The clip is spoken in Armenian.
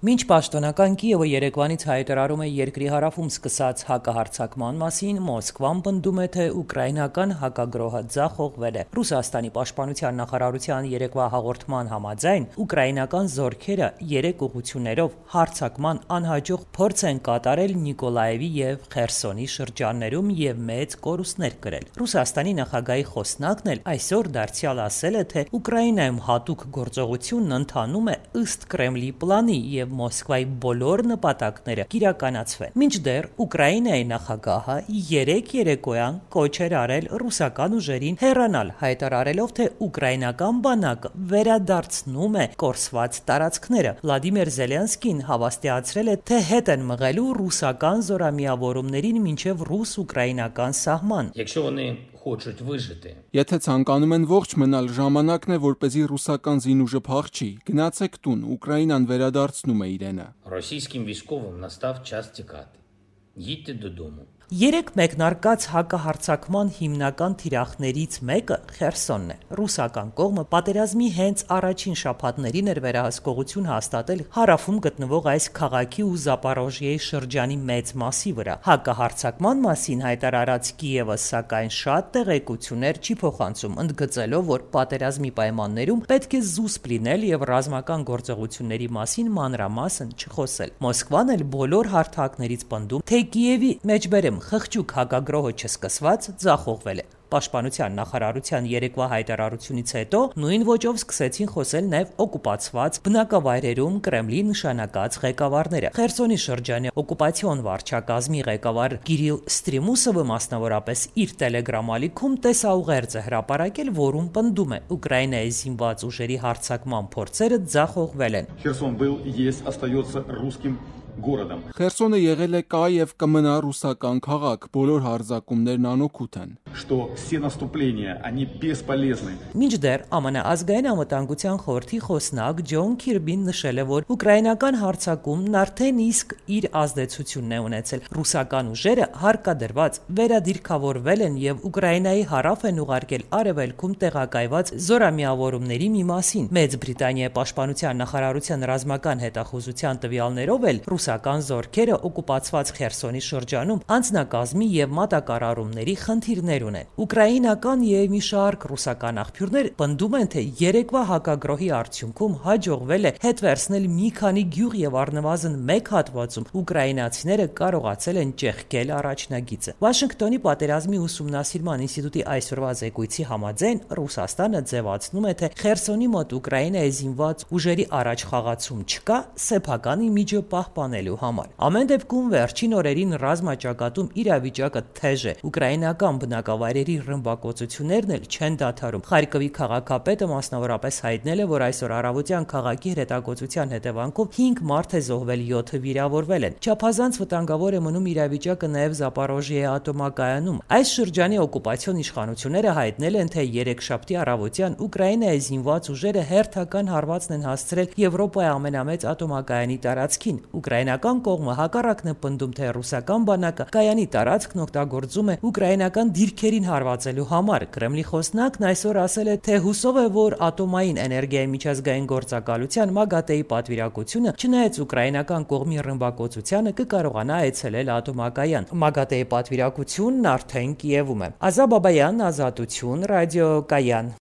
Մինչ պաշտոնական Կիևը Երևանից հայտարարում է երկրի հարավում սկսած հակահարձակման մասին, Մոսկվան պնդում է, թե ուկրաինական հակագրոհը ձախողվել է։ Ռուսաստանի պաշտպանության նախարարության երեկվա հաղորդման համաձայն, ուկրաինական զորքերը 3 ուղղություններով հարձակման անհաջող փորձ են կատարել Նիկոլաևի եւ Խերսոնի շրջաններում եւ մեծ կորուստներ կրել։ Ռուսաստանի նախագահի խոսնակն էլ այսօր դարձյալ ասել է, թե Ուկրաինայում հատուկ գործողությունն ընթանում է ըստ Կրեմլի պլանի եւ Մոսկվայի բոլոր նպատակները կիրականացվեն։ Մինչդեռ Ուկրաինայի նախագահը 3 երեկոյան կոչ էր արել ռուսական ուժերին հեռանալ, հայտարարելով, թե ուկրաինական բանակը վերադարձնում է կորսված տարածքները։ Վլադիմիր Զելենսկին հավաստիացրել է, թե հետ են մղելու ռուսական զորամիավորումներին մինչև ռուս-ուկրաինական սահման։ Եթե ցանկանում են ողջ մնալ, ժամանակն է, որպեսզի ռուսական զինուժը փախչի, գնացեք տուն, Ուկրաինան վերադարձնում է իրենը։ Російським військовим настав час тікати. Їдьте додому. Երեք մեկնարկած հակահարձակման հիմնական թիրախներից մեկը Խերսոնն է։ Ռուսական կողմը պատերազմի հենց առաջին շաբաթներին էր վերահսկողություն հաստատել հարավում գտնվող այս քաղաքի ու Զապորոժիեի շրջանի մեծ մասի վրա։ Հակահարձակման մասին հայտարարած Կիևը, սակայն, շատ տեղեկություններ չի փոխանցում, ընդգծելով, որ պատերազմի պայմաններում պետք է զուսպ լինել եւ ռազմական գործողությունների մասին մանրամասն չխոսել։ Մոսկվան էլ բոլոր հարթակներից պնդում, թե Կիևի մեջբերեմ խղճուկ հակագրոհը չսկսված ձախողվել է։ Պաշտպանության նախարարության երեկվա հայտարարությունից հետո նույն ոճով սկսեցին խոսել նաև օկուպացված բնակավայրերում Կրեմլի նշանակած ղեկավարները։ Խերսոնի շրջանի օկուպացիոն վարչակազմի ղեկավար Կիրիլ Ստրիմուսովը մասնավորապես իր Telegram ալիքում տեսաուղերձ է հրապարակել, որում պնդում է Ուկրաինայի զինված ուժերի հարձակման փորձերը ձախողվել են։ Херсон был, есть, остается русским городом. Խերսոնը եղել է կա եւ կմնա ռուսական քաղաք, բոլոր հարձակումներն անօգուտ են։ Что все наступления, они бесполезны. Մինչդեռ ԱՄՆ ազգային անվտանգության խորհրդի խոսնակ Ջոն Քիրբին նշել է, որ ուկրաինական հարձակումն արդեն իսկ իր ազդեցությունն է ունեցել։ Ռուսական ուժերը հարկադրված վերադիրքավորվել են եւ Ուկրաինայի հարավ են ուղարկել արևելքում տեղակայված զորամիավորումների մի մասին։ Մեծ Բրիտանիայի պաշտպանության նախարարության ռազմական հետախուզության տվյալներով էլ ռուսական զորքերը օկուպացված Խերսոնի շրջանում անձնակազմի եւ մատակարարումների խնդիրներ ունեն։ Ուկրաինական եւ մի շարք ռուսական աղբյուրներ պնդում են, թե երեկվա հակագրոհի արդյունքում հաջողվել է հետ վերցնել մի քանի գյուղ եւ առնվազն մեկ հատվածում ուկրաինացիները կարողացել են ճեղքել առաջնագիծը։ Վաշինգտոնի պատերազմի ուսումնասիրման ինստիտուտի այսօրվա զեկույցի համաձայն Ռուսաստանը ձևացնում է, թե Խերսոնի մոտ Ուկրաինայի զինված ուժերի առաջխաղացում չկա սեփական իմիջը պահպանելու համար։ Ամեն դեպքում վերջին օրերին ռազմաճակատում իրավիճակը թեժ է։ Ուկրաինական բնակավայրերի ռմբակոծություններն էլ չեն դադարում։ Խարկովի քաղաքապետը մասնավորապես հայտնել է, որ այսօր առավոտյան քաղաքի հրետակոծության հետևանքով 5 մարդ է զոհվել, 7-ը վիրավորվել են։ Չափազանց վտանգավոր է մնում իրավիճակը նաև Զապորոժիեի ատոմակայանում։ Այս շրջանի օկուպացիոն իշխանությունները հայտնել են, թե երեքշաբթի առավոտյան Ուկրաինայի զինված ուժերը հերթական հարվածն են հասցրել Եվրոպայի ամենամեծ ատոմակայանի տարածքին։ Ուկրաինական կողմը հակառակն է պնդում, թե ռուսական բանակը կայանի տարածքն օգտագործում է ուկրաինական դիրքերին հարվածելու համար։ Կրեմլի խոսնակն այսօր ասել է, թե հուսով է, որ ատոմային էներգիայի միջազգային գործակալության ՄԱԳԱՏԷ-ի պատվիրակությունը, չնայած ուկրաինական կողմի ռմբակոծությանը, կկարողանա այցելել ատոմակայան։ ՄԱԳԱՏԷ-ի պատվիրակությունն արդեն Կիևում է։ Ազա Բաբայան, Ազատություն, Ռադիո Կայան։